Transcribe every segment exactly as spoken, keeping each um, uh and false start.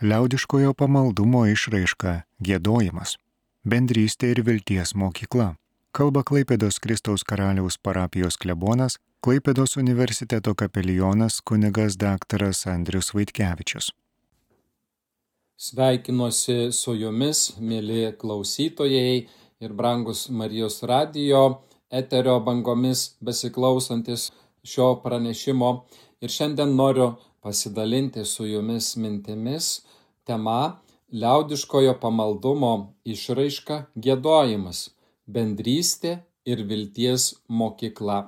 Liaudiškojo pamaldumo išraiška – giedojimas, bendrystė ir vilties mokykla. Kalba Klaipėdos Kristaus Karaliaus parapijos klebonas, Klaipėdos universiteto kapelionas kunigas daktaras Andrius Vaitkevičius. Sveikinuosi su jumis, mieli klausytojai ir brangus Marijos radijo eterio bangomis besiklausantis šio pranešimo. Ir šiandien noriu pasidalinti su jumis mintimis tema liaudiškojo pamaldumo išraiška giedojimas, bendrystė ir vilties mokykla.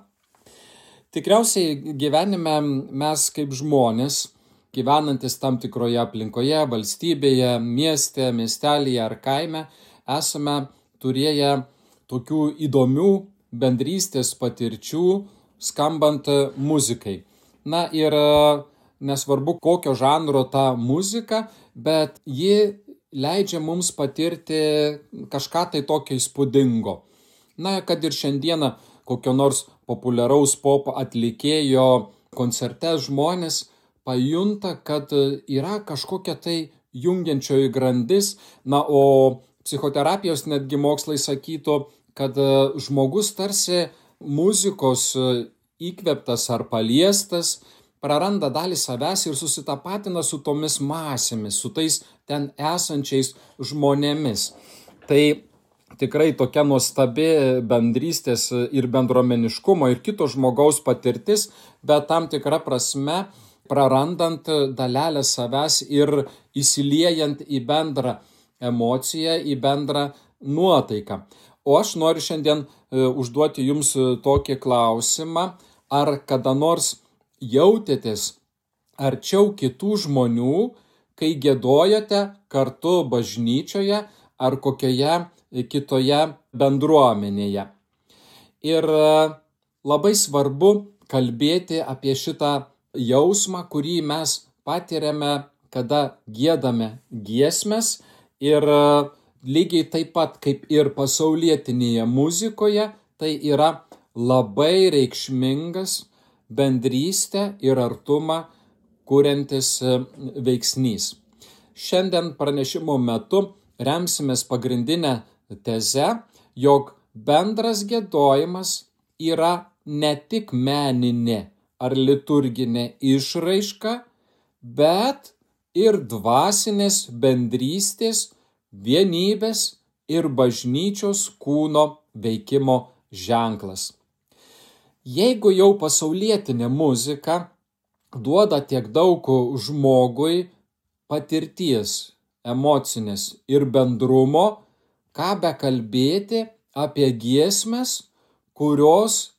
Tikriausiai gyvenime mes kaip žmonės, gyvenantis tam tikroje aplinkoje, valstybėje, mieste, miestelyje ar kaime, esame turėję tokių įdomių bendrystės patirčių skambant muzikai. Na ir nesvarbu kokio žanro ta muzika, bet ji leidžia mums patirti kažką tai tokio įspūdingo. Na, kad ir šiandieną kokio nors populiaraus pop atlikėjo koncerte žmonės pajunta, kad yra kažkokia tai jungiančioji grandis. Na, o psichoterapijos netgi mokslai sakytų, kad žmogus tarsi muzikos įkvėptas ar paliestas praranda dalį savęs ir susitapatina su tomis masėmis, su tais ten esančiais žmonėmis. Tai tikrai tokia nuostabi bendrystės ir bendruomeniškumo ir kito žmogaus patirtis, bet tam tikra prasme prarandant dalelę savęs ir įsiliejant į bendrą emociją, į bendrą nuotaiką. O aš noriu šiandien užduoti jums tokį klausimą, ar kada nors jautėtės arčiau kitų žmonių, kai giedojate kartu bažnyčioje ar kokioje kitoje bendruomenėje. Ir labai svarbu kalbėti apie šitą jausmą, kurį mes patiriame, kada giedame giesmes, ir lygiai taip pat kaip ir pasaulietinėje muzikoje, tai yra labai reikšmingas bendrystę ir artumą kuriantis veiksnys. Šiandien pranešimo metu remsimės pagrindinę tezę, jog bendras giedojimas yra ne tik meninė ar liturginė išraiška, bet ir dvasinės bendrystės, vienybės ir bažnyčios kūno veikimo ženklas. Jeigu jau pasaulietinė muzika duoda tiek daug žmogui patirties, emocinės ir bendrumo, ką bekalbėti apie giesmes, kurios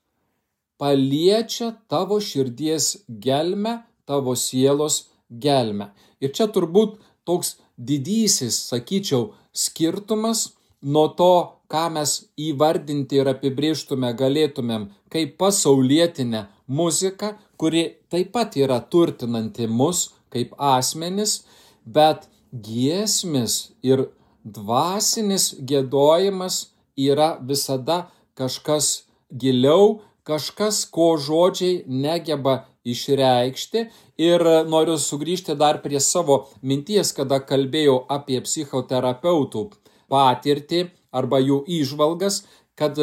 paliečia tavo širdies gelmę, tavo sielos gelmę. Ir čia turbūt toks didysis, sakyčiau, skirtumas nuo to, ką mes įvardinti ir apibrėžtume galėtumėm kaip pasaulietinę muziką, kuri taip pat yra turtinanti mus kaip asmenis, bet giesmės ir dvasinis giedojimas yra visada kažkas giliau, kažkas, ko žodžiai negeba išreikšti. Ir noriu sugrįžti dar prie savo minties, kada kalbėjau apie psichoterapeutų patirtį arba jų įžvalgas, kad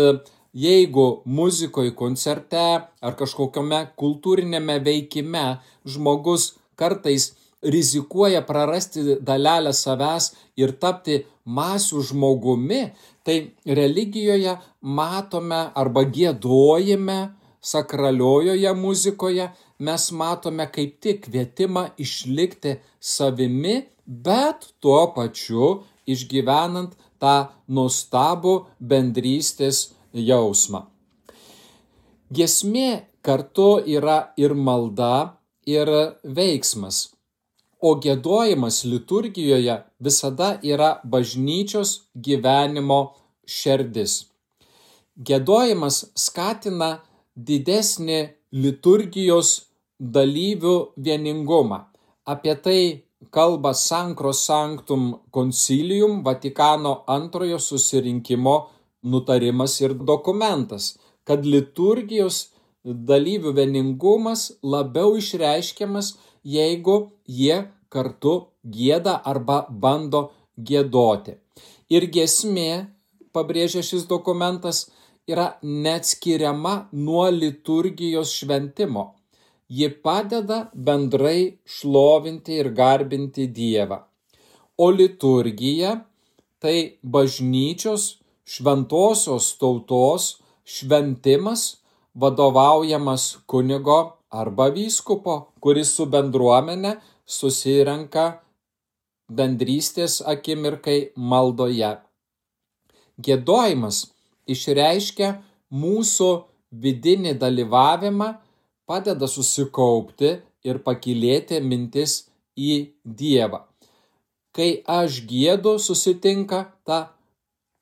jeigu muzikoje, koncerte ar kažkokiame kultūrinėme veikime žmogus kartais rizikuoja prarasti dalelę savęs ir tapti masių žmogumi, tai religijoje matome arba giedojime, sakraliojoje muzikoje mes matome kaip tik kvietimą išlikti savimi, bet tuo pačiu išgyvenant tą nuostabų bendrystės jausmą. Giesmė kartu yra ir malda, ir veiksmas, o giedojimas liturgijoje visada yra bažnyčios gyvenimo šerdis. Giedojimas skatina didesnį liturgijos dalyvių vieningumą. Apie tai kalba Sancro Sanctum Concilium, Vatikano antrojo susirinkimo nutarimas ir dokumentas, kad liturgijos dalyvių vieningumas labiau išreiškiamas, jeigu jie kartu gieda arba bando giedoti. Ir giesmė, pabrėžia šis dokumentas, yra neatskiriama nuo liturgijos šventimo. Ji padeda bendrai šlovinti ir garbinti Dievą. O liturgija tai bažnyčios šventosios tautos šventimas, vadovaujamas kunigo arba vyskupo, kuris su bendruomene susirenka bendrystės akimirkai maldoje. Giedojimas išreiškia mūsų vidinį dalyvavimą, padeda susikaupti ir pakylėti mintis į Dievą. Kai aš giedu, susitinka ta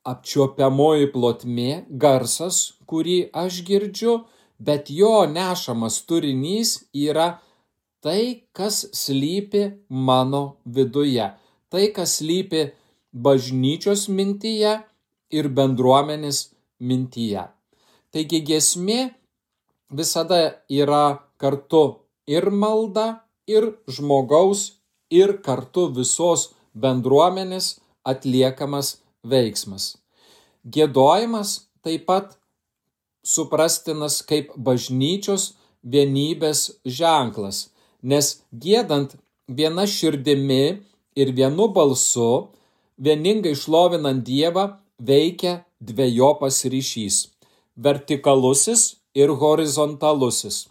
apčiuopiamoji plotmė, garsas, kurį aš girdžiu, bet jo nešamas turinys yra tai, kas slypi mano viduje, tai, kas slypi bažnyčios mintyje ir bendruomenės mintyje. Taigi giesmė visada yra kartu ir malda, ir žmogaus, ir kartu visos bendruomenės atliekamas veiksmas. Giedojimas taip pat suprastinas kaip bažnyčios vienybės ženklas, nes giedant viena širdimi ir vienu balsu, vieningai šlovinant Dievą, veikia dvejopas ryšys – vertikalusis ir horizontalusis.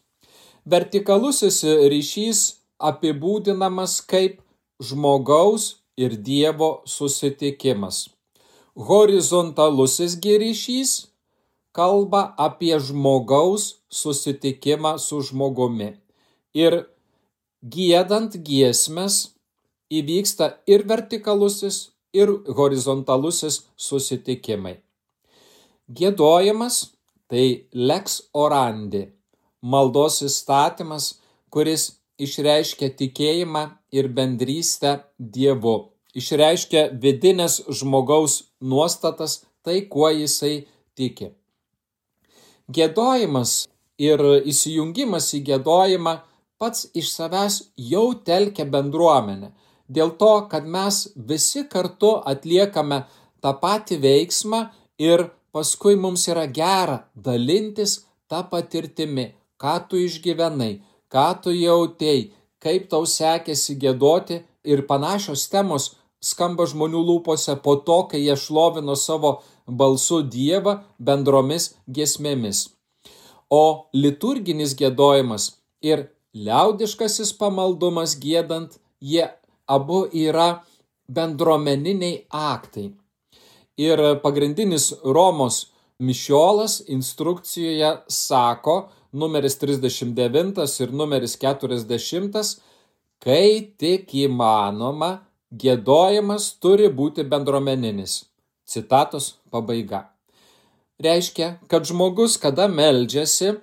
Vertikalusis ryšys apibūdinamas kaip žmogaus ir Dievo susitikimas. Horizontalusis ryšys kalba apie žmogaus susitikimą su žmogumi. Ir giedant giesmes įvyksta ir vertikalusis, ir horizontalusis susitikimai. Giedojimas tai lex orandi, maldos įstatymas, kuris išreiškia tikėjimą ir bendrystę Dievu, išreiškia vidinės žmogaus nuostatas, tai kuo jisai tiki. Giedojimas ir įsijungimas į giedojimą pats iš savęs jau telkia bendruomenę, dėl to, kad mes visi kartu atliekame tą patį veiksmą ir paskui mums yra gera dalintis tą patirtimi, ką tu išgyvenai, ką tu jautei, kaip tau sekėsi giedoti, ir panašios temos skamba žmonių lūpose po to, kai jie šlovino savo balsu Dievą bendromis giesmėmis. O liturginis giedojimas ir liaudiškasis pamaldumas giedant, jie abu yra bendruomeniniai aktai. Ir pagrindinis Romos mišiolas instrukcijoje sako, numeris trisdešimt devintas ir numeris keturiasdešimtas, kai tik įmanoma, giedojimas turi būti bendruomeninis. Citatos pabaiga. Reiškia, kad žmogus, kada meldžiasi,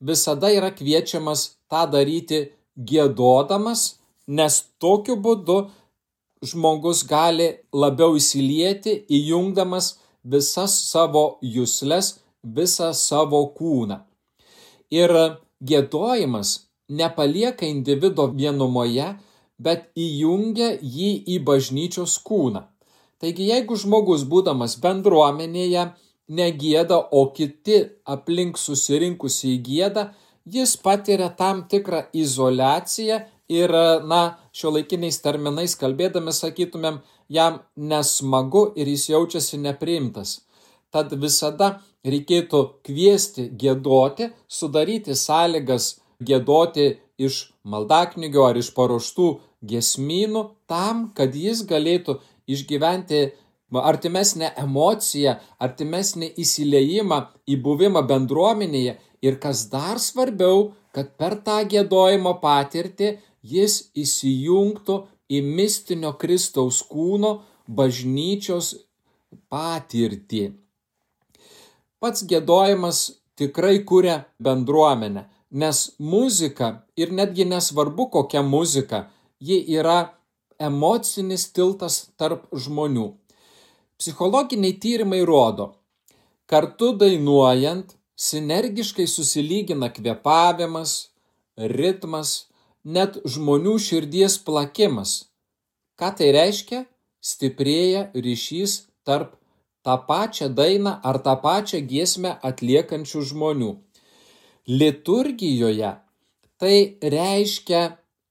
visada yra kviečiamas tą daryti giedodamas, nes tokiu būdu žmogus gali labiau įsilieti, įjungdamas visas savo jusles, visą savo kūną. Ir giedojimas nepalieka individo vienumoje, bet įjungia jį į bažnyčios kūną. Taigi, jeigu žmogus, būdamas bendruomenėje, negieda, o kiti aplink susirinkusiai gieda, jis patiria tam tikrą izoliaciją ir, na, šiuolaikiniais terminais kalbėdami sakytumėm, jam nesmagu ir jis jaučiasi nepriimtas. Tad visada reikėtų kviesti giedoti, sudaryti sąlygas giedoti iš maldaknygio ar iš paruoštų giesmynų tam, kad jis galėtų išgyventi artimesnę emociją, artimesnį įsiliejimą į buvimą bendruomenėje ir, kas dar svarbiau, kad per tą giedojimo patirtį jis įsijungtų į mistinio Kristaus kūno bažnyčios patirtį. Pats giedojimas tikrai kuria bendruomenę, nes muzika, ir netgi nesvarbu kokia muzika, ji yra emocinis tiltas tarp žmonių. Psichologiniai tyrimai rodo, kartu dainuojant sinergiškai susilygina kvėpavimas, ritmas, net žmonių širdies plakimas. Ką tai reiškia? Stiprėja ryšys tarp tą pačią dainą ar tą pačią giesmę atliekančių žmonių. Liturgijoje tai reiškia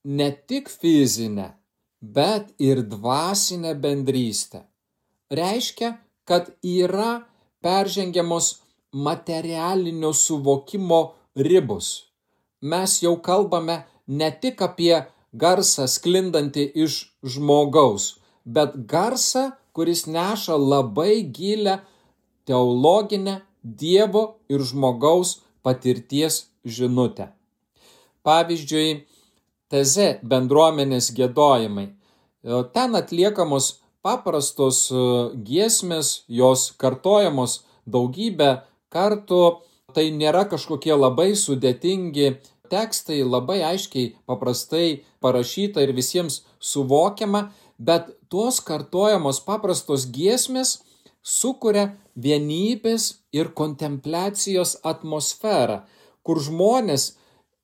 ne tik fizinę, bet ir dvasinę bendrystę. Reiškia, kad yra peržengiamos materialinio suvokimo ribos. Mes jau kalbame ne tik apie garsą sklindantį iš žmogaus, bet garsą, kuris neša labai gilią teologinę Dievo ir žmogaus patirties žinutę. Pavyzdžiui, Teze bendruomenės giedojimai. Ten atliekamos paprastos giesmės, jos kartojamos daugybę kartų, tai nėra kažkokie labai sudėtingi tekstai, labai aiškiai, paprastai parašyta ir visiems suvokiama, bet tos kartojamos paprastos giesmės sukuria vienybės ir kontempliacijos atmosferą, kur žmonės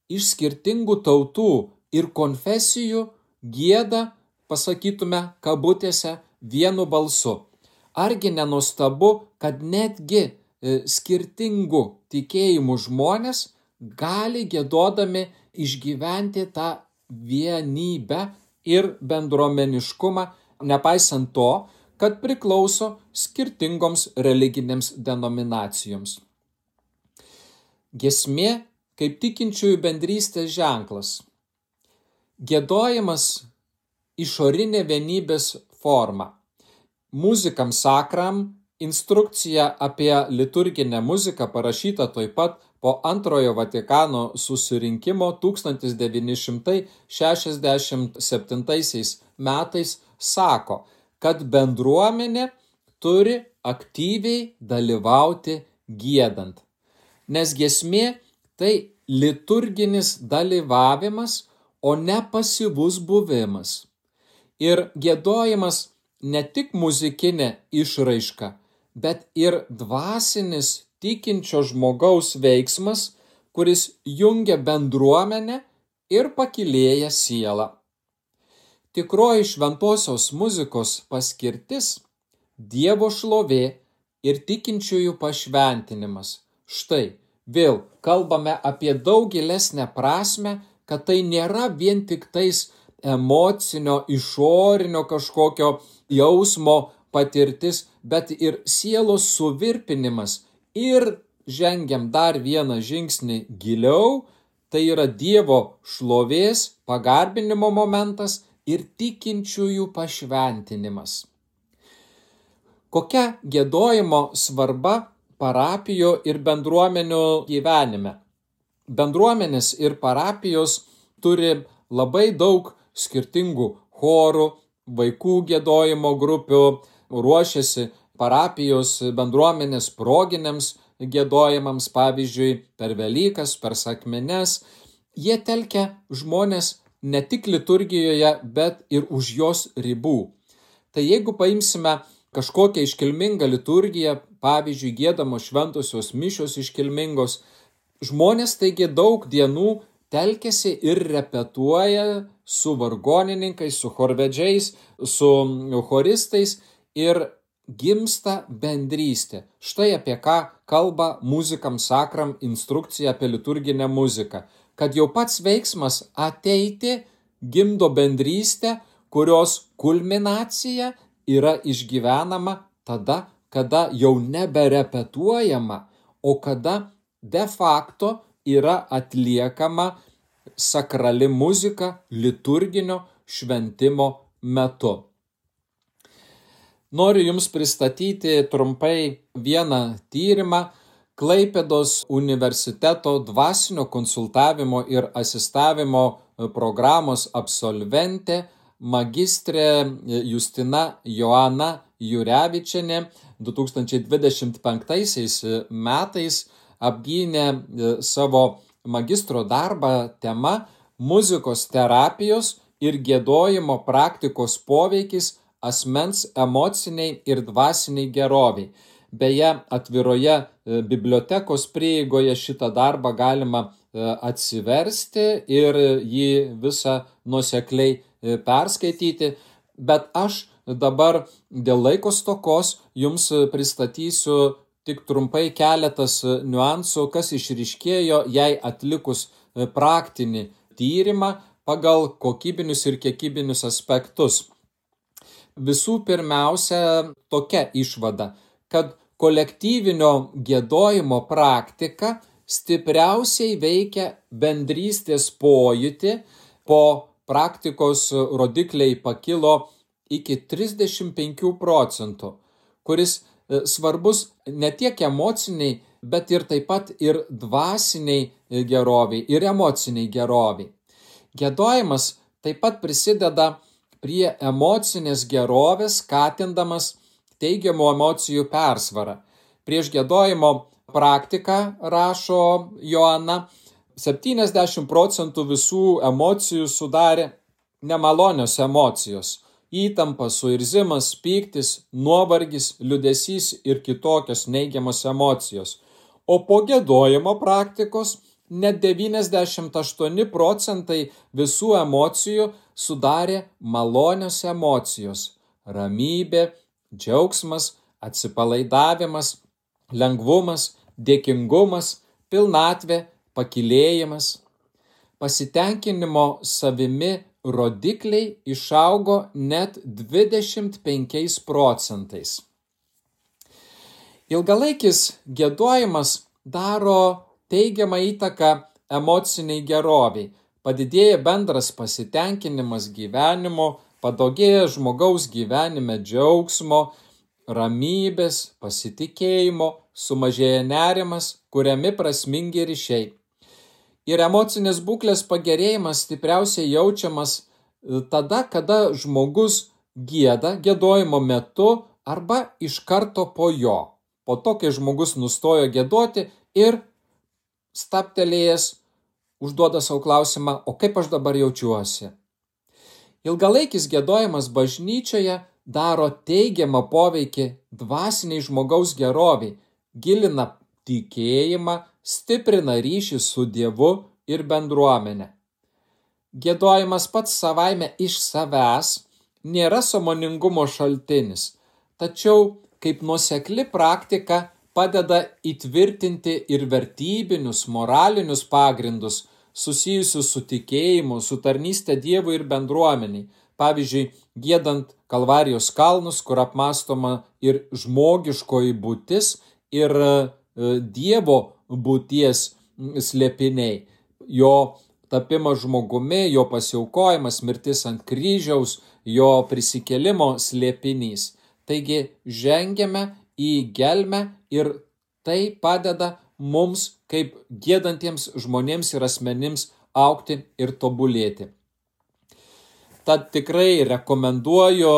iš skirtingų tautų ir konfesijų gieda, pasakytume kabutėse, vienu balsu. Argi nenuostabu, kad netgi skirtingų tikėjimų žmonės gali giedodami išgyventi tą vienybę ir bendruomeniškumą, nepaisant to, kad priklauso skirtingoms religinėms denominacijoms. Giesmė kaip tikinčiųjų bendrystės ženklas. Giedojimas išorinė vienybės forma. Muzikam sakram instrukcija apie liturginę muziką parašyta taip pat po antrojo Vatikano susirinkimo tūkstantis devyni šimtai šešiasdešimt septintaisiais metais sako, kad bendruomenė turi aktyviai dalyvauti giedant. Nes giesmė tai liturginis dalyvavimas, o ne pasyvus buvimas. Ir giedojimas ne tik muzikinė išraiška, bet ir dvasinis tikinčio žmogaus veiksmas, kuris jungia bendruomenę ir pakylėja sielą. Tikroji šventosios muzikos paskirtis – Dievo šlovė ir tikinčiųjų pašventinimas. Štai, vėl kalbame apie daug gilesnę prasmę, kad tai nėra vien tik tais emocinio, išorinio kažkokio jausmo patirtis, bet ir sielos suvirpinimas. Ir žengiam dar vieną žingsnį giliau, tai yra Dievo šlovės, pagarbinimo momentas ir tikinčiųjų pašventinimas. Kokia giedojimo svarba parapijų ir bendruomenių gyvenime? Bendruomenės ir parapijos turi labai daug skirtingų chorų, vaikų giedojimo grupių, ruošiasi parapijos bendruomenės proginiams giedojimams, pavyzdžiui, per Velykas, per sakmines. Jie telkia žmonės ne tik liturgijoje, bet ir už jos ribų. Tai jeigu paimsime kažkokią iškilmingą liturgiją, pavyzdžiui, giedamos šventosios mišios iškilmingos, žmonės taigi daug dienų telkiasi ir repetuoja su vargonininkais, su chorvedžiais, su choristais ir gimsta bendrystė. Štai apie ką kalba muzikam sakram instrukcija apie liturginę muziką. Kad jau pats veiksmas ateiti gimdo bendrystę, kurios kulminacija yra išgyvenama tada, kada jau neberepetuojama, o kada de facto yra atliekama sakrali muzika liturginio šventimo metu. Noriu Jums pristatyti trumpai vieną tyrimą. Klaipėdos universiteto dvasinio konsultavimo ir asistavimo programos absolventė, magistrė Justina Joana Jurevičienė du tūkstančiai dvidešimt penktaisiais metais apgynė savo magistro darbą tema muzikos terapijos ir giedojimo praktikos poveikis asmens emociniai ir dvasiniai geroviai. Beje, atviroje bibliotekos prieigoje šitą darbą galima atsiversti ir jį visą nuosekliai perskaityti, bet aš dabar dėl laiko stokos jums pristatysiu tik trumpai keletas niuansų, kas išryškėjo, jei atlikus praktinį tyrimą pagal kokybinius ir kiekybinius aspektus. Visų pirmiausia, tokia išvada, kad kolektyvinio giedojimo praktika stipriausiai veikia bendrystės pojūtį. Po praktikos rodikliai pakilo iki trisdešimt penkių procentų, kuris svarbus ne tiek emociniai, bet ir taip pat ir dvasiniai geroviai ir emociniai geroviai. Giedojimas taip pat prisideda prie emocinės gerovės, skatindamas teigiamų emocijų persvarą. Prieš giedojimo praktiką, rašo Joana, septyniasdešimt procentų visų emocijų sudarė nemalonios emocijos. Įtampa, suirzimas, pyktis, nuovargis, liūdesys ir kitokios neigiamos emocijos. O po giedojimo praktikos net devyniasdešimt aštuoni procentai visų emocijų sudarė malonios emocijos. Ramybė, džiaugsmas, atsipalaidavimas, lengvumas, dėkingumas, pilnatvė, pakylėjimas. Pasitenkinimo savimi rodikliai išaugo net dvidešimt penkiais procentais. Ilgalaikis giedojimas daro teigiamą įtaką emociniai geroviai. Padidėja bendras pasitenkinimas gyvenimu, padaugėja žmogaus gyvenime džiaugsmo, ramybės, pasitikėjimo, sumažėja nerimas, kuriami prasmingi ryšiai. Ir emocinės būklės pagerėjimas stipriausiai jaučiamas tada, kada žmogus gieda giedojimo metu arba iš karto po jo. Po to, kai žmogus nustojo giedoti ir stabtelėjęs užduoda savo klausimą, o kaip aš dabar jaučiuosi. Ilgalaikis giedojimas bažnyčioje daro teigiamą poveikį dvasiniai žmogaus geroviai, gilina tikėjimą, stiprina ryšį su Dievu ir bendruomenė. Giedojimas pats savaime iš savęs nėra sąmoningumo šaltinis, tačiau kaip nuosekli praktika padeda įtvirtinti ir vertybinius, moralinius pagrindus susijusius su tikėjimu, su tarnyste Dievui ir bendruomeniai. Pavyzdžiui, giedant Kalvarijos kalnus, kur apmąstoma ir žmogiškoji būtis ir Dievo būties slėpiniai, jo tapimas žmogumi, jo pasiaukojimas, mirtis ant kryžiaus, jo prisikėlimo slėpinys. Taigi žengiame į gelmę ir tai padeda mums kaip giedantiems žmonėms ir asmenims augti ir tobulėti. Tad tikrai rekomenduoju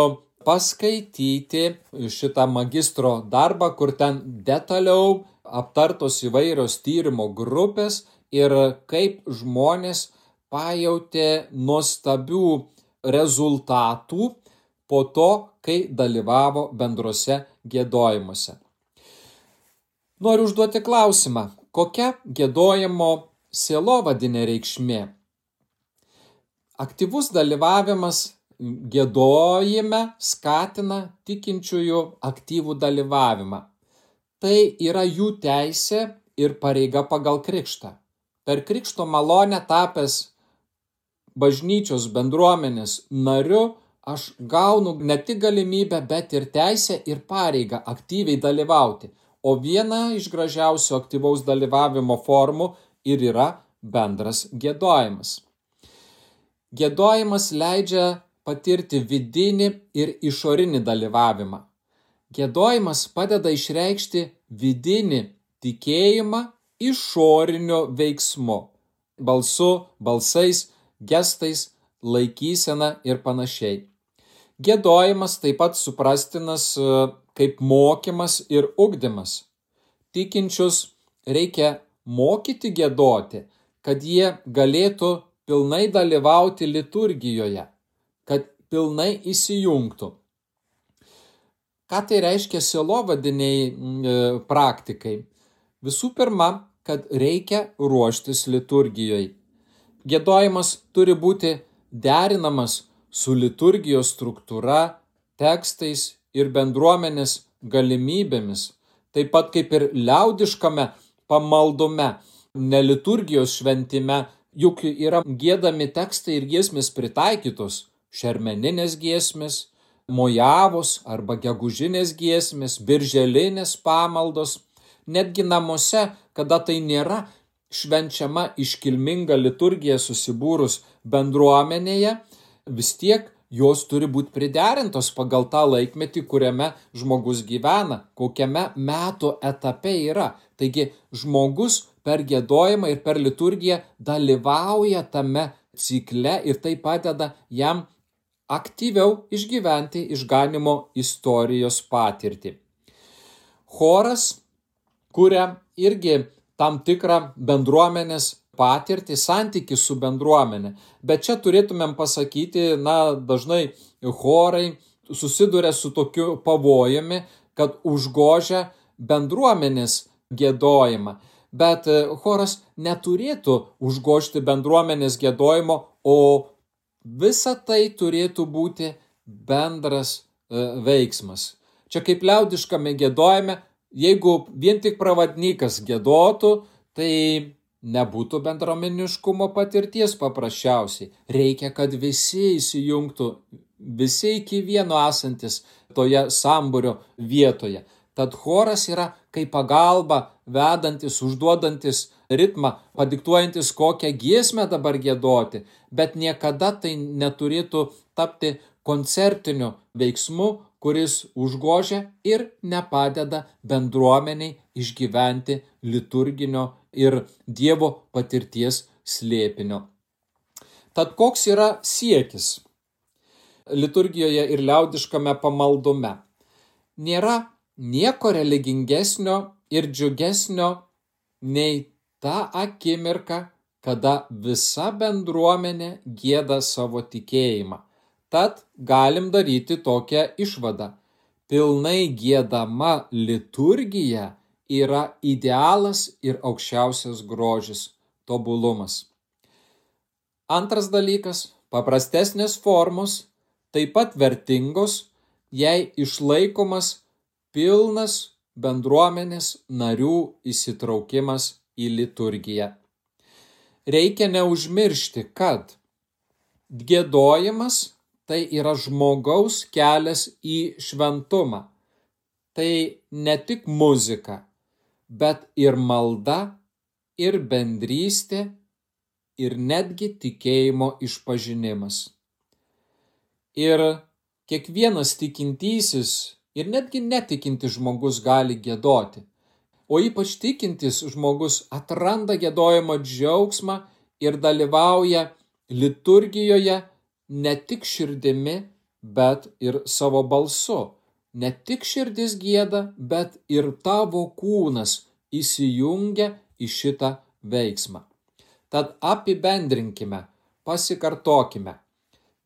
paskaityti šitą magistro darbą, kur ten detaliau aptartos įvairios tyrimo grupės ir kaip žmonės pajautė nuostabių rezultatų po to, kai dalyvavo bendruose giedojimuose. Noriu užduoti klausimą, kokia giedojimo sielovadinė reikšmė? Aktyvus dalyvavimas giedojime skatina tikinčiųjų aktyvų dalyvavimą. Tai yra jų teisė ir pareiga pagal krikštą. Per krikšto malonę tapęs bažnyčios bendruomenės nariu, aš gaunu ne tik galimybę, bet ir teisę ir pareigą aktyviai dalyvauti. O viena iš gražiausių aktyvaus dalyvavimo formų ir yra bendras giedojimas. Giedojimas leidžia patirti vidinį ir išorinį dalyvavimą. Giedojimas padeda išreikšti vidinį tikėjimą išoriniu veiksmu, balsu, balsais, gestais, laikysena ir panašiai. Giedojimas taip pat suprastinas kaip mokymas ir ugdymas. Tikinčius reikia mokyti giedoti, kad jie galėtų pilnai dalyvauti liturgijoje, kad pilnai įsijungtų. Ką tai reiškia sielovadiniai praktikai? Visų pirma, kad reikia ruoštis liturgijai. Giedojimas turi būti derinamas su liturgijos struktūra, tekstais ir bendruomenės galimybėmis, taip pat kaip ir liaudiškame pamaldume, ne liturgijos šventime, juk yra giedami tekstai ir giesmės pritaikytos, šermeninės giesmės, mojavos arba gegužinės giesmės, birželinės pamaldos, netgi namuose, kada tai nėra švenčiama iškilminga liturgija susibūrus bendruomenėje, vis tiek jos turi būti priderintos pagal tą laikmetį, kuriame žmogus gyvena, kokiame metų etape yra. Taigi žmogus per giedojimą ir per liturgiją dalyvauja tame cikle ir tai padeda jam aktyviau išgyventi išganymo istorijos patirtį. Choras kuria irgi tam tikrą bendruomenės patirtį, santykį su bendruomenė. Bet čia turėtumėm pasakyti, na, dažnai chorai susiduria su tokiu pavojumi, kad užgožia bendruomenės giedojimą. Bet choras neturėtų užgožti bendruomenės giedojimo, o visa tai turėtų būti bendras e, veiksmas. Čia kaip liaudiškame giedojime, jeigu vien tik pravadnykas giedotų, tai nebūtų bendruomeniškumo patirties paprasčiausiai. Reikia, kad visi įsijungtų, visi iki vieno esantis toje sambūrio vietoje. Tad choras yra kaip pagalba, vedantis, užduodantis ritmą, padiktuojantis kokią giesmę dabar giedoti, bet niekada tai neturėtų tapti koncertiniu veiksmu, kuris užgožia ir nepadeda bendruomeniai išgyventi liturginio ir Dievo patirties slėpinio. Tad koks yra siekis liturgijoje ir liaudiškame pamaldume? Nėra nieko religingesnio ir džiugesnio nei ta akimirka, kada visa bendruomenė gieda savo tikėjimą. Tad galim daryti tokią išvadą. Pilnai giedama liturgija yra idealas ir aukščiausias grožis, tobulumas. Antras dalykas, paprastesnės formos, taip pat vertingos, jei išlaikomas pilnas bendruomenės narių įsitraukimas į liturgiją. Reikia neužmiršti, kad giedojimas tai yra žmogaus kelias į šventumą. Tai ne tik muzika, bet ir malda, ir bendrystė, ir netgi tikėjimo išpažinimas. Ir kiekvienas tikintysis ir netgi netikintis žmogus gali giedoti, o ypač tikintis žmogus atranda giedojimo džiaugsmą ir dalyvauja liturgijoje ne tik širdimi, bet ir savo balsu. Ne tik širdis gieda, bet ir tavo kūnas įsijungia į šitą veiksmą. Tad apibendrinkime, pasikartokime.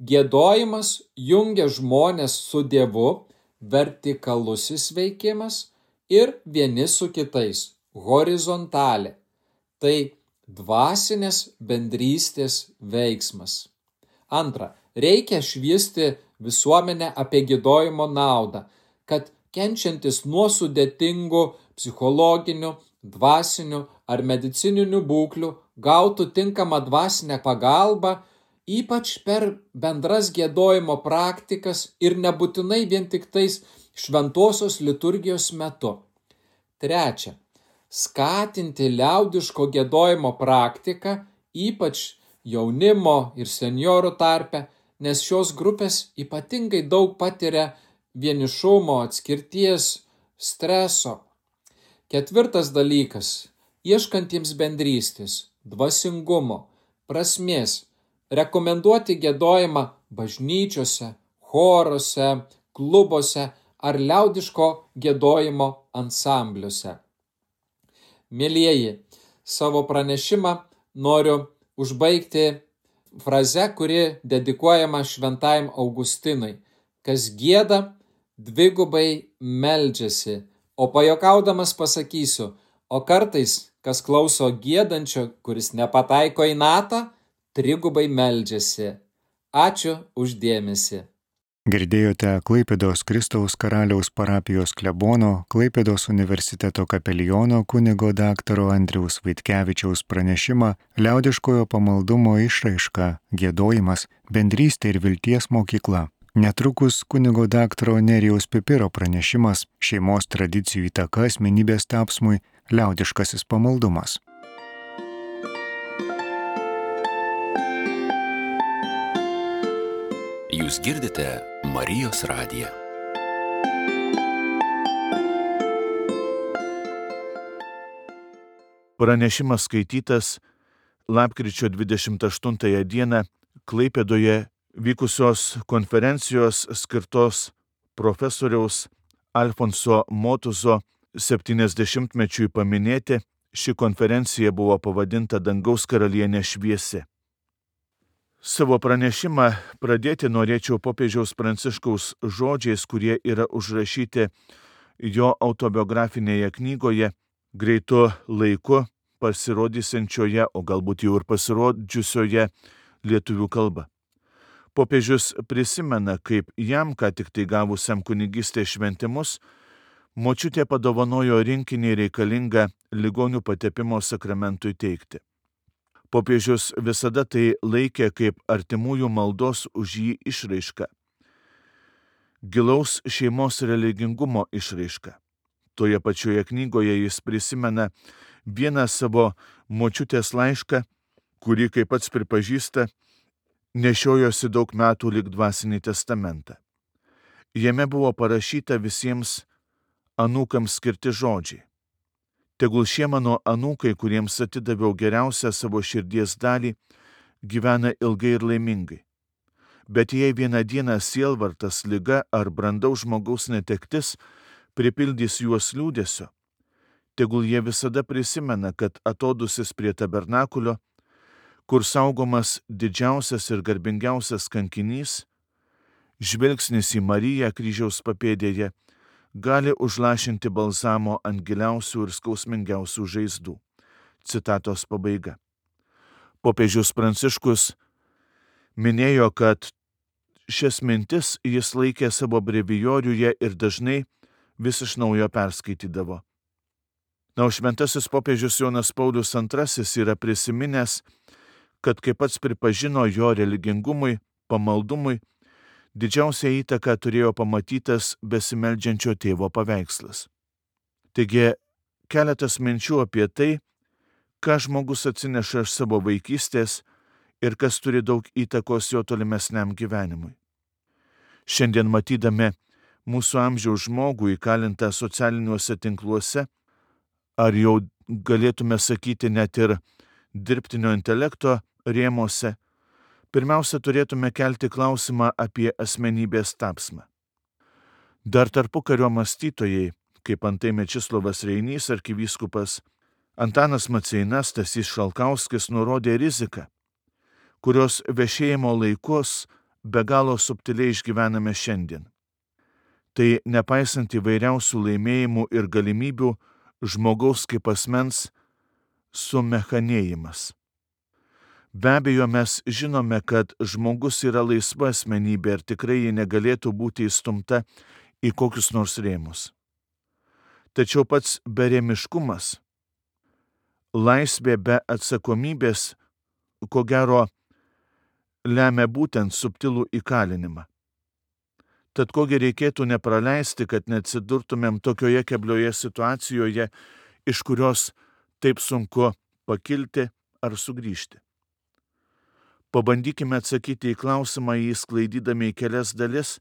Giedojimas jungia žmones su Dievu, vertikalusis veikimas, ir vieni su kitais, horizontalė. Tai dvasinės bendrystės veiksmas. Antra, reikia šviesti visuomenę apie giedojimo naudą, kad kenčiantis nuo sudėtingų psichologinių, dvasinių ar medicininių būklių gautų tinkamą dvasinę pagalbą, ypač per bendras giedojimo praktikas ir nebūtinai vien tik tais šventosios liturgijos metu. Trečia, skatinti liaudiško giedojimo praktiką, ypač jaunimo ir senjorų tarpe, nes šios grupės ypatingai daug patiria vienišumo, atskirties, streso. Ketvirtas dalykas, ieškantiems bendrystės, dvasingumo, prasmės, rekomenduoti giedojimą bažnyčiose, choruose, klubuose ar liaudiško giedojimo ansambliuose. Mielieji, savo pranešimą noriu užbaigti fraze, kuri dedikuojama šventajam Augustinui. Kas gieda, dvigubai meldžiasi, o pajokaudamas pasakysiu, o kartais, kas klauso giedančio, kuris nepataiko į natą, trigubai meldžiasi. Ačiū už dėmesį. Girdėjote Klaipėdos Kristaus Karaliaus parapijos klebono, Klaipėdos universiteto kapeliono kunigo daktaro Andriaus Vaitkevičiaus pranešimą liaudiškojo pamaldumo išraiška, giedojimas, bendrystė ir vilties mokykla. Netrukus kunigo daktaro Nerijaus Pipiro pranešimas šeimos tradicijų įtaka asmenybės tapsmui liaudiškasis pamaldumas. Jūs girdite Marijos radiją. Pranešimas skaitytas lapkričio dvidešimt aštuntąją dieną Klaipėdoje vykusios konferencijos skirtos profesoriaus Alfonso Motuzo septyniasdešimtmečiui paminėti. Ši konferencija buvo pavadinta Dangaus karalienė šviesi. Savo pranešimą pradėti norėčiau popiežiaus Pranciškaus žodžiais, kurie yra užrašyti jo autobiografinėje knygoje greitu laiku pasirodysiančioje, o galbūt jau ir pasirodžiusioje lietuvių kalba. Popiežius prisimena, kaip jam, ką tik tai gavusiam kunigystės šventimus, močiutė padovanojo rinkinį reikalingą ligonių patepimo sakramentui teikti. Popiežius visada tai laikė kaip artimųjų maldos už jį išraišką, gilaus šeimos religingumo išraišką. Toje pačioje knygoje jis prisimena vieną savo močiutės laišką, kurį, kaip pats pripažįsta, nešiojosi daug metų lyg dvasinį testamentą. Jame buvo parašyta visiems anūkams skirti žodžiai. Tegul šie mano anūkai, kuriems atidaviau geriausią savo širdies dalį, gyvena ilgai ir laimingai. Bet jei vieną dieną sielvartas, liga ar brandaus žmogaus netektis pripildys juos liūdesio, tegul jie visada prisimena, kad atodusis prie tabernakulio, kur saugomas didžiausias ir garbingiausias kankinys, žvilgsnis į Mariją kryžiaus papėdėje gali užlašinti balzamo ant giliausių ir skausmingiausių žaizdų. Citatos pabaiga. Popiežius Pranciškus minėjo, kad šias mintis jis laikė savo brevijoriuje ir dažnai vis iš naujo perskaitydavo. Na, o šventasis popiežius Jonas Paulius antrasis yra prisiminęs, kad kaip pats pripažino, jo religingumui, pamaldumui, didžiausią įtaką turėjo pamatytas besimeldžiančio tėvo paveikslas. Taigi, keletas minčių apie tai, ką žmogus atsineša iš savo vaikystės ir kas turi daug įtakos jo tolimesniam gyvenimui. Šiandien matydami mūsų amžiaus žmogų įkalintą socialiniuose tinkluose, ar jau galėtume sakyti net ir dirbtinio intelekto rėmuose, pirmiausia turėtume kelti klausimą apie asmenybės tapsmą. Dar tarpukario mąstytojai, kaip antai Mečislovas Reinys arkivyskupas, Antanas Maceinas, Stasys Šalkauskis nurodė riziką, kurios vešėjimo laikus be galo subtiliai išgyvename šiandien. Tai nepaisant įvairiausių laimėjimų ir galimybių žmogaus kaip asmens sumechanėjimas. Be abejo, mes žinome, kad žmogus yra laisva asmenybė ir tikrai ji negalėtų būti įstumta į kokius nors rėmus. Tačiau pats berėmiškumas, laisvė be atsakomybės, ko gero, lemia būtent subtilų įkalinimą. Tad kogi reikėtų nepraleisti, kad neatsidurtumėm tokioje keblioje situacijoje, iš kurios taip sunku pakilti ar sugrįžti. Pabandykime atsakyti į klausimą, jį sklaidydami į kelias dalis,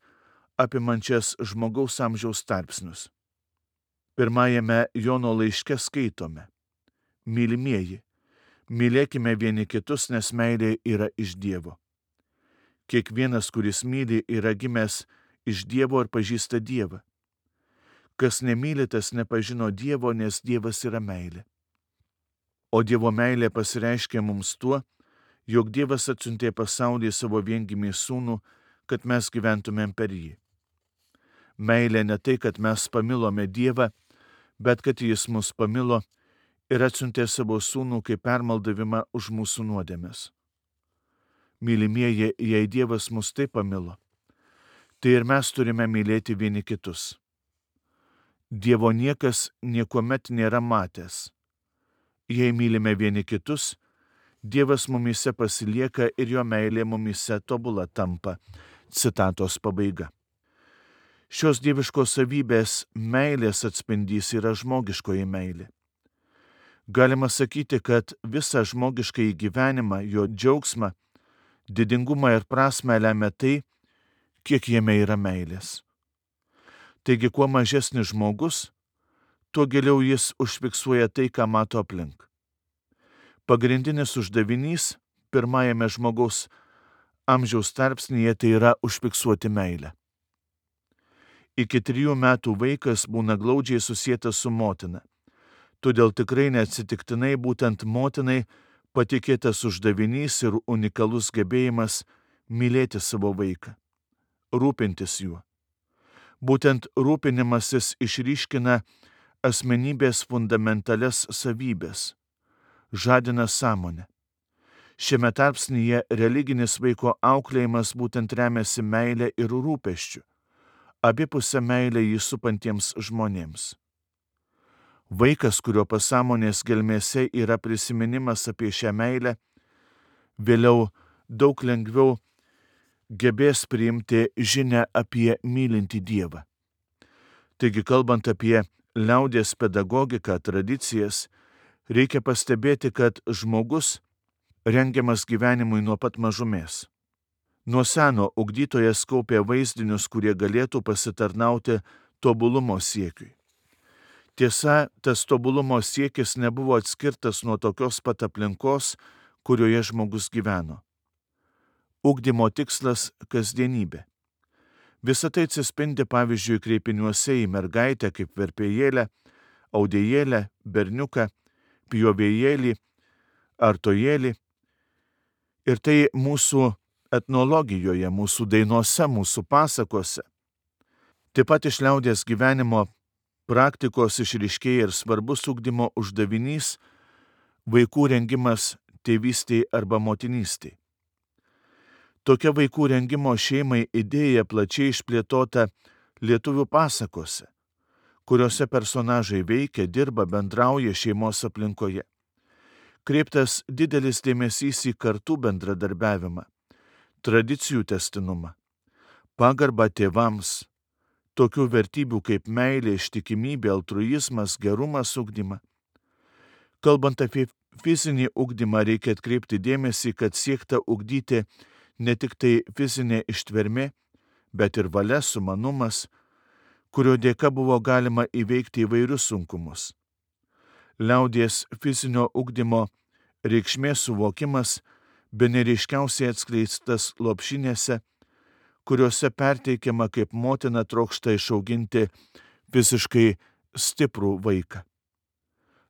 apimančias žmogaus amžiaus tarpsnius. Pirmajame Jono laiške skaitome: Mylimieji, mylėkime vieni kitus, nes meilė yra iš Dievo. Kiekvienas, kuris myli, yra gimęs iš Dievo ir pažįsta Dievą. Kas nemyli, tas nepažino Dievo, nes Dievas yra meilė. O Dievo meilė pasireiškia mums tuo, jog Dievas atsiuntė pasaulį savo viengimį sūnų, kad mes gyventumėm per jį. Meilė ne tai, kad mes pamilome Dievą, bet kad jis mus pamilo ir atsiuntė savo sūnų kaip permaldavimą už mūsų nuodėmes. Mylimieji, jei Dievas mus taip pamilo, tai ir mes turime mylėti vieni kitus. Dievo niekas niekuomet nėra matęs. Jei mylime vieni kitus, Dievas mumyse pasilieka ir jo meilė mumyse tobula tampa. Citatos pabaiga. Šios dieviškos savybės meilės atspindys yra žmogiškoji meilė. Galima sakyti, kad visą žmogiškąjį gyvenimą, jo džiaugsmą, didingumą ir prasmę lemia tai, kiek jame yra meilės. Taigi, kuo mažesnis žmogus, tuo giliau jis užfiksuoja tai, ką mato aplink. Pagrindinis uždavinys pirmajame žmogaus amžiaus tarpsnyje tai yra užfiksuoti meilę. Iki trijų metų vaikas būna glaudžiai susietas su motina. Todėl tikrai neatsitiktinai būtent motinai patikėtas uždavinys ir unikalus gebėjimas mylėti savo vaiką, rūpintis juo. Būtent rūpinimasis išryškina asmenybės fundamentalias savybės, žadina sąmonę. Šiame tarpsnyje religinis vaiko auklėjimas būtent remiasi meilė ir rūpesčiu, abipusę meilę jį supantiems žmonėms. Vaikas, kurio pasąmonės gelmėse yra prisiminimas apie šią meilę, vėliau daug lengviau gebės priimti žinią apie mylintį Dievą. Taigi, kalbant apie liaudies pedagogiką, tradicijas, reikia pastebėti, kad žmogus rengiamas gyvenimui nuo pat mažumės. Nuo seno ugdytojas kaupė vaizdinius, kurie galėtų pasitarnauti tobulumo siekiui. Tiesa, tas tobulumo siekis nebuvo atskirtas nuo tokios pat aplinkos, kurioje žmogus gyveno. Ugdymo tikslas – kasdienybė. Visą tai atsispindi pavyzdžiui kreipiniuose į mergaitę kaip verpėjėlę, audėjėlę, berniuką, pjovėjėlį, artojėlį. Ir tai mūsų etnologijoje, mūsų dainuose, mūsų pasakose. Taip pat iš liaudies gyvenimo praktikos išryškėja ir svarbus ugdymo uždavinys – vaikų rengimas tėvystei arba motinystei. Tokia vaikų rengimo šeimai idėja plačiai išplėtota lietuvių pasakose, kuriuose personažai veikia, dirba, bendrauja šeimos aplinkoje. Kreiptas didelis dėmesys į kartų bendradarbiavimą, tradicijų tęstinumą, pagarbą tėvams, tokių vertybių kaip meilė, ištikimybė, altruizmas, gerumas ugdymą. Kalbant apie fizinį ugdymą, reikia atkreipti dėmesį, kad siekta ugdyti ne tik tai fizinė ištvermė, bet ir valia, sumanumas, kurio dėka buvo galima įveikti įvairius sunkumus. Liaudies fizinio ugdymo reikšmės suvokimas bene ryškiausiai atskleistas lopšinėse, kuriuose perteikiama, kaip motina trokšta išauginti fiziškai stiprų vaiką.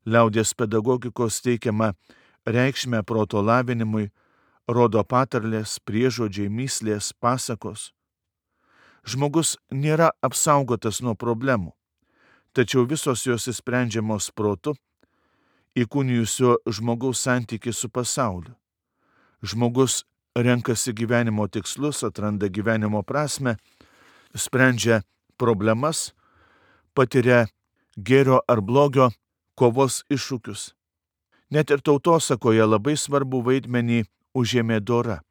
Liaudies pedagogikos teikiama reikšmė proto lavinimui rodo patarlės, priežodžiai, mįslės, pasakos. Žmogus nėra apsaugotas nuo problemų, tačiau visos jos išsprendžiamos protu, įkūnijusio žmogaus santykį su pasauliu. Žmogus renkasi gyvenimo tikslus, atranda gyvenimo prasmę, sprendžia problemas, patiria gėrio ar blogio kovos iššūkius. Net ir tautosakoje labai svarbu vaidmenį užėmė dora.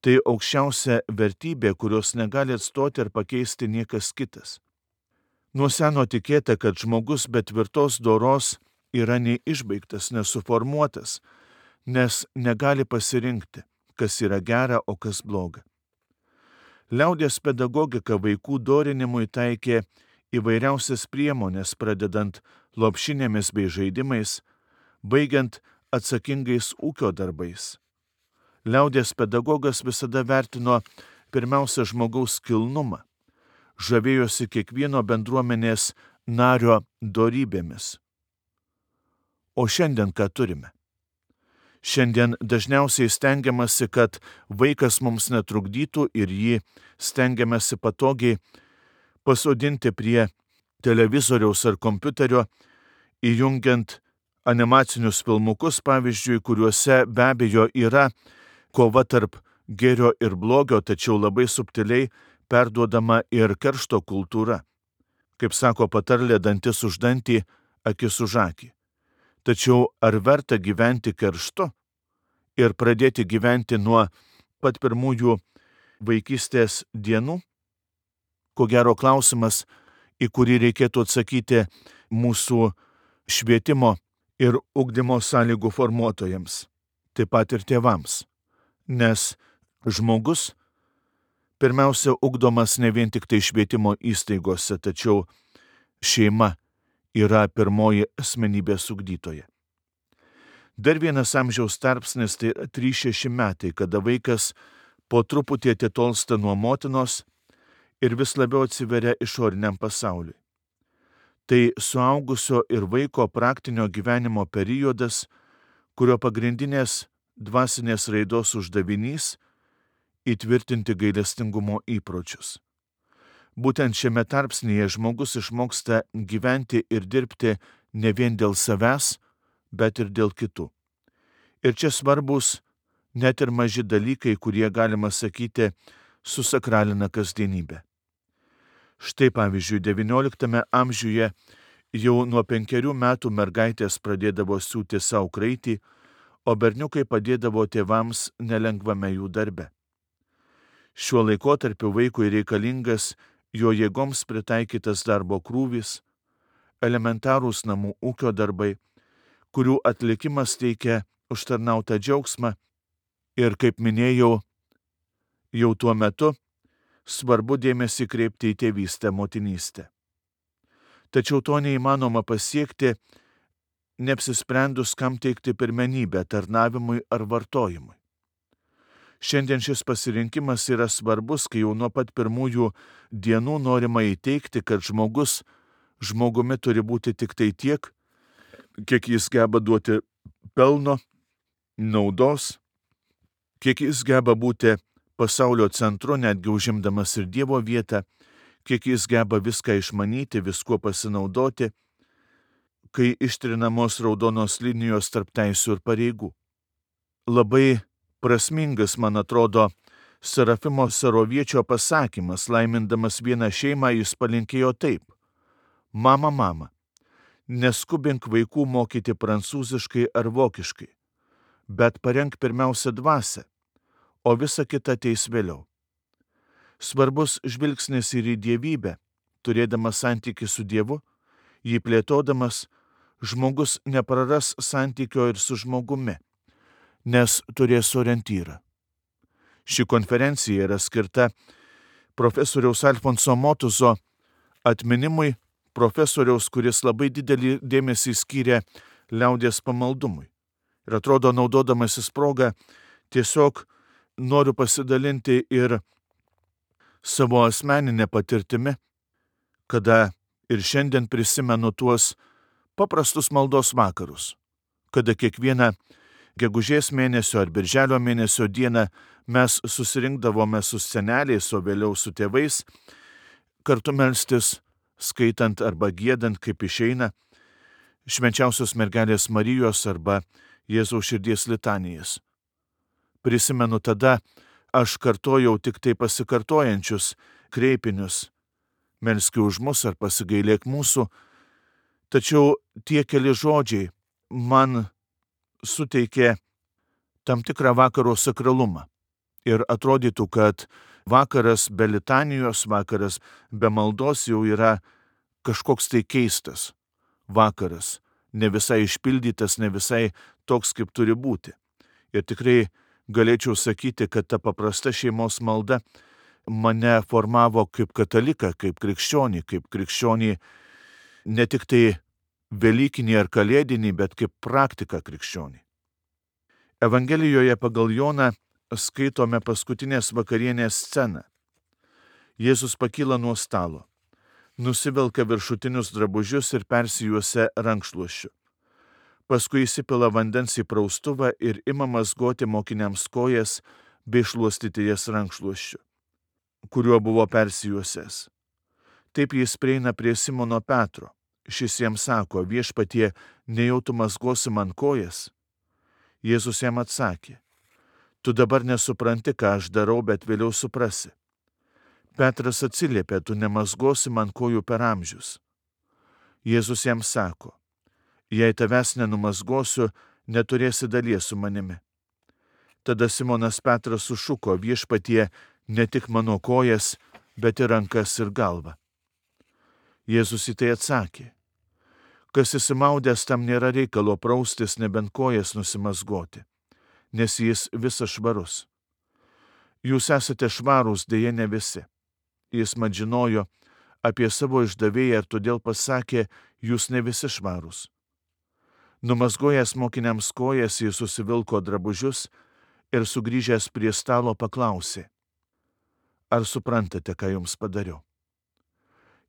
Tai aukščiausia vertybė, kurios negali atstoti ir pakeisti niekas kitas. Nuo seno tikėta, kad žmogus be tvirtos doros yra neišbaigtas, nesuformuotas, nes negali pasirinkti, kas yra gera, o kas bloga. Liaudies pedagogika vaikų dorinimui taikė įvairiausias priemonės, pradedant lopšinėmis bei žaidimais, baigiant atsakingais ūkio darbais. Liaudies pedagogas visada vertino pirmiausia žmogaus kilnumą, žavėjosi kiekvieno bendruomenės nario dorybėmis. O šiandien ką turime? Šiandien dažniausiai stengiamasi, kad vaikas mums netrukdytų ir jį stengiamasi patogiai pasodinti prie televizoriaus ar kompiuterio, įjungiant animacinius filmukus, pavyzdžiui, kuriuose be abejo yra kova tarp gėrio ir blogio, tačiau labai subtiliai perduodama ir keršto kultūra. Kaip sako patarlė, dantis už dantį, akis už akį. Tačiau ar verta gyventi kerštu ir pradėti gyventi nuo pat pirmųjų vaikystės dienų? Ko gero klausimas, į kurį reikėtų atsakyti mūsų švietimo ir ugdymo sąlygų formuotojams, taip pat ir tėvams. Nes žmogus pirmiausia ugdomas ne vien tik tai švietimo įstaigose, tačiau šeima yra pirmoji asmenybės ugdytoja. Dar vienas amžiaus tarpsnis tai trys šeši metai, kada vaikas po truputį atitolsta nuo motinos ir vis labiau atsiveria išoriniam pasauliui. Tai suaugusio ir vaiko praktinio gyvenimo periodas, kurio pagrindinės dvasinės raidos uždavinys įtvirtinti gailestingumo įpročius. Būtent šiame tarpsnyje žmogus išmoksta gyventi ir dirbti ne vien dėl savęs, bet ir dėl kitų. Ir čia svarbus net ir maži dalykai, kurie, galima sakyti, susakralina kasdienybę. Štai pavyzdžiui, devynioliktame amžiuje jau nuo penkerių metų mergaitės pradėdavo siūti savo kraitį, o berniukai padėdavo tėvams nelengvame jų darbe. Šiuo laikotarpiu vaikui reikalingas jo jėgoms pritaikytas darbo krūvis, elementarūs namų ūkio darbai, kurių atlikimas teikia užtarnautą džiaugsmą ir, kaip minėjau, jau tuo metu svarbu dėmesį kreipti į tėvystę, motinystę. Tačiau to neįmanoma pasiekti, neapsisprendus, kam teikti pirmenybę – tarnavimui ar vartojimui. Šiandien šis pasirinkimas yra svarbus, kai jau nuo pat pirmųjų dienų norima įteikti, kad žmogus žmogumi turi būti tik tai tiek, kiek jis geba duoti pelno, naudos, kiek jis geba būti pasaulio centru, netgi užimdamas ir Dievo vietą, kiek jis geba viską išmanyti, viskuo pasinaudoti, kai ištrinamos raudonos linijos tarp teisių ir pareigų. Labai prasmingas, man atrodo, Serafimo Saroviečio pasakymas, laimindamas vieną šeimą, jis palinkėjo taip: Mama, mama, neskubink vaikų mokyti prancūziškai ar vokiškai, bet parenk pirmiausia dvasią, o visa kita ateis vėliau. Svarbus žvilgsnis ir į dievybę, turėdamas santykį su Dievu, jį plėtodamas, žmogus nepraras santykio ir su žmogumi, nes turės orientyrą. Ši konferencija yra skirta profesoriaus Alfonso Motuzo atminimui, profesoriaus, kuris labai didelį dėmesį skyrė liaudies pamaldumui. Ir atrodo, naudodamasis progą, tiesiog noriu pasidalinti ir savo asmeninę patirtimi, kada ir šiandien prisimenu tuos paprastus maldos vakarus, kada kiekvieną gegužės mėnesio ar birželio mėnesio dieną mes susirinkdavome su seneliais, o vėliau su tėvais, kartu melstis, skaitant arba giedant, kaip išeina, švenčiausios mergelės Marijos arba Jėzaus širdies litanijas. Prisimenu, tada aš kartojau tik tai pasikartojančius kreipinius, melski už mus ar pasigailėk mūsų, tačiau tie keli žodžiai man suteikė tam tikrą vakaro sakralumą. Ir atrodytų, kad vakaras be litanijos, vakaras be maldos jau yra kažkoks tai keistas vakaras, ne visai išpildytas, ne visai toks, kaip turi būti. Ir tikrai galėčiau sakyti, kad ta paprasta šeimos malda mane formavo kaip kataliką, kaip krikščionį, kaip krikščionį ne tik tai velykinį ar kalėdinį, bet kaip praktiką krikščionį. Evangelijoje pagal Joną skaitome paskutinės vakarienės sceną. Jėzus pakyla nuo stalo, nusivelka viršutinius drabužius ir persijuosia rankšluosčiu. Paskui įsipila vandens į praustuvą ir ima mazgoti mokiniams kojas bei šluostyti jas rankšluosčiu, kuriuo buvo persijuosęs. Taip jis prieina prie Simono Petro, Šis jam sako, viešpatie, nejau tu mazgosi man kojas. Jėzus jam atsakė, tu dabar nesupranti, ką aš darau, bet vėliau suprasi. Petras atsiliepė, tu nemazgosi man kojų per amžius. Jėzus jam sako, jei tavęs nenumazgosiu, neturėsi dalies su manimi. Tada Simonas Petras sušuko, viešpatie, ne tik mano kojas, bet ir rankas ir galvą. Jėzus į tai atsakė, kas įsimaudęs, tam nėra reikalo praustis, nebent kojas nusimazgoti, nes jis visas švarus. Jūs esate švarūs, dėja ne visi. Jis mat žinojo apie savo išdavėją ir todėl pasakė, jūs ne visi švarūs. Numazgojęs mokiniams kojas, jis susivilko drabužius ir sugrįžęs prie stalo paklausė, ar suprantate, ką jums padariau?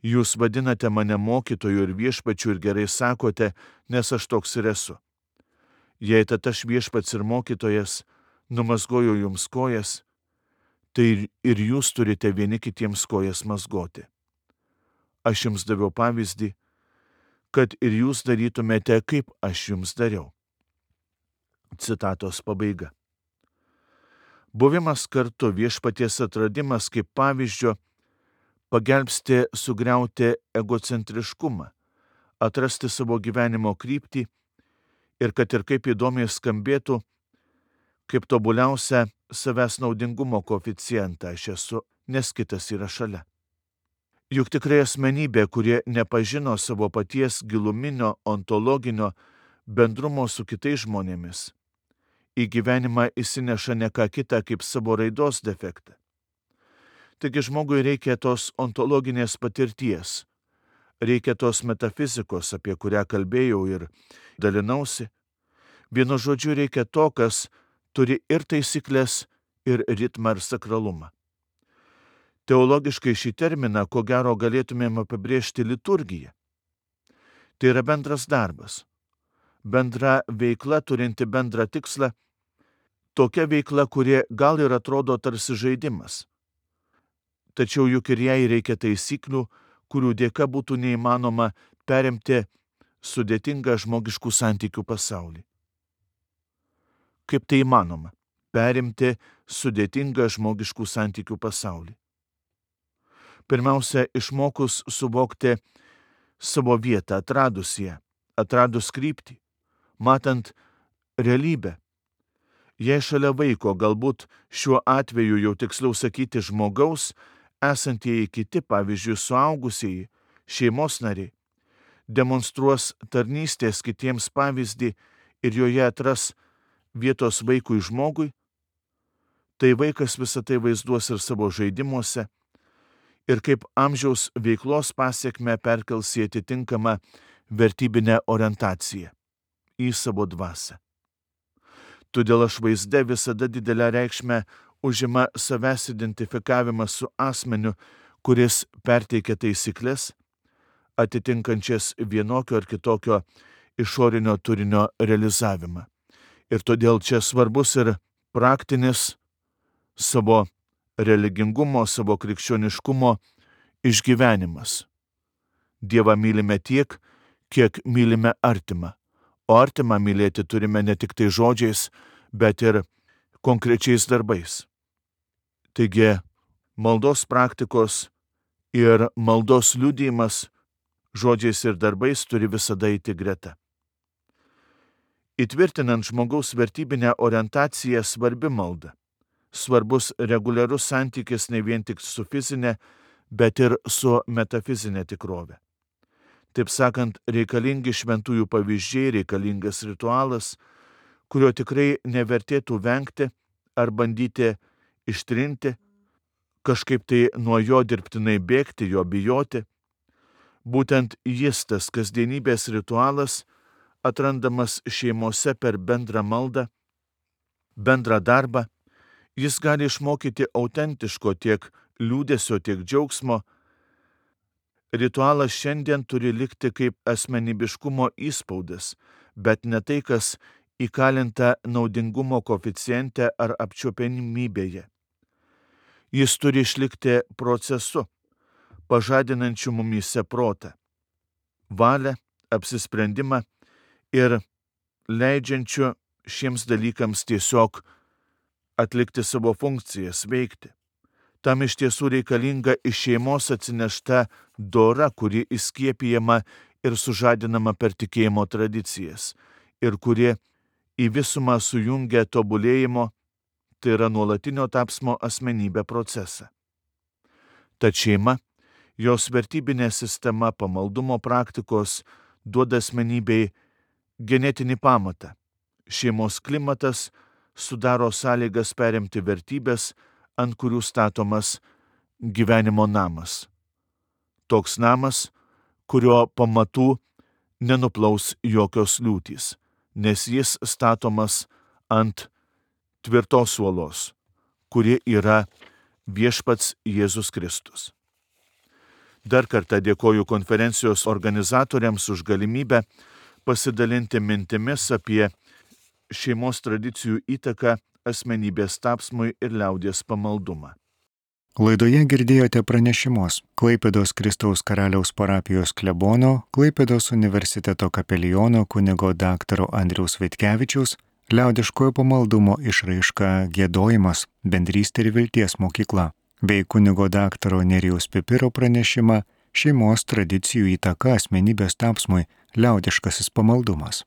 Jūs vadinate mane mokytoju ir viešpačiu ir gerai sakote, nes aš toks ir esu. Jei tad aš viešpats ir mokytojas, numazgoju jums kojas, tai ir jūs turite vieni kitiems kojas mazgoti. Aš jums daviau pavyzdį, kad ir jūs darytumėte, kaip aš jums dariau. Citatos pabaiga. Buvimas kartu, viešpaties atradimas kaip pavyzdžio, pagelbsti sugriauti egocentriškumą, atrasti savo gyvenimo kryptį ir kad ir kaip įdomiai skambėtų, kaip tobuliausia savęs naudingumo koeficientą aš esu, nes kitas yra šalia. Juk tikrai asmenybė, kurie nepažino savo paties giluminio ontologinio bendrumo su kitais žmonėmis, į gyvenimą įsineša ne ką kitą kaip savo raidos defektą. Taigi žmogui reikia tos ontologinės patirties, reikia tos metafizikos, apie kurią kalbėjau ir dalinausi. Vienu žodžiu reikia to, kas turi ir taisyklės, ir ritmą, ir sakralumą. Teologiškai šį terminą, ko gero, galėtumėm apibrėžti liturgiją. Tai yra bendras darbas, bendra veikla turinti bendrą tikslą, tokia veikla, kuri gal ir atrodo tarsi žaidimas. Tačiau juk ir jai reikia taisyklių, kurių dėka būtų neįmanoma perimti sudėtingą žmogiškų santykių pasaulį. Kaip tai įmanoma? Perimti sudėtingą žmogiškų santykių pasaulį. Pirmiausia, išmokus suvokti savo vietą, atradus ją, atradus kryptį, matant realybę. Jei šalia vaiko, galbūt šiuo atveju jau tiksliau sakyti žmogaus, esantieji kiti, pavyzdžiui, suaugusieji, šeimos nariai, demonstruos tarnystės kitiems pavyzdį ir joje atras vietos vaikui žmogui, tai vaikas visą tai vaizduos ir savo žaidimuose ir kaip amžiaus veiklos pasiekmę perkels į atitinkamą vertybinę orientaciją, į savo dvasią. Todėl aš vaizde visada didelę reikšmę užima savęs identifikavimas su asmeniu, kuris perteikia taisyklės, atitinkančias vienokio ar kitokio išorinio turinio realizavimą. Ir todėl čia svarbus ir praktinis savo religingumo, savo krikščioniškumo išgyvenimas. Dievą mylime tiek, kiek mylime artimą, o artimą mylėti turime ne tik tai žodžiais, bet ir konkrečiais darbais. Taigi, maldos praktikos ir maldos liudijimas žodžiais ir darbais turi visada eiti greta. Įtvirtinant žmogaus vertybinę orientaciją svarbi malda. Svarbus reguliarus santykis ne vien tik su fizinė, bet ir su metafizinė tikrovė. Taip sakant, reikalingi šventųjų pavyzdžiai, reikalingas ritualas, kurio tikrai nevertėtų vengti ar bandyti ištrinti, kažkaip tai nuo jo dirbtinai bėgti, jo bijoti. Būtent jis, tas kasdienybės ritualas, atrandamas šeimose per bendrą maldą, bendrą darbą, jis gali išmokyti autentiško tiek liūdesio, tiek džiaugsmo. Ritualas šiandien turi likti kaip asmenybiškumo įspaudas, bet ne tai, kas įkalinta naudingumo koeficiente ar apčiuopiamybėje. Jis turi išlikti procesu, pažadinančiu mumyse protą. valią, apsisprendimą ir leidžiančiu šiems dalykams tiesiog atlikti savo funkcijas, veikti. Tam iš tiesų reikalinga iš šeimos atsinešta dora, kuri įskiepijama ir sužadinama per tikėjimo tradicijas ir kuri į visumą sujungia tobulėjimo, tai yra nuolatinio tapsmo asmenybę procesą. Tad šeima, jos vertybinė sistema, pamaldumo praktikos duoda asmenybei genetinį pamatą. Šeimos klimatas sudaro sąlygas perimti vertybės, ant kurių statomas gyvenimo namas. Toks namas, kurio pamatų nenuplaus jokios liūtys, nes jis statomas ant tvirtos uolos, kuri yra viešpats Jėzus Kristus. Dar kartą dėkoju konferencijos organizatoriams už galimybę pasidalinti mintimis apie šeimos tradicijų įtaką asmenybės tapsmui ir liaudies pamaldumą. Laidoje girdėjote pranešimus Klaipėdos Kristaus Karaliaus parapijos klebono, Klaipėdos universiteto kapeliono kunigo daktaro Andriaus Vaitkevičiaus, liaudiškojo pamaldumo išraiška giedojimas, bendrystė ir vilties mokykla, bei kunigo daktaro Nerijaus Pipiro pranešimą šeimos tradicijų įtaka asmenybės tapsmui, liaudiškasis pamaldumas.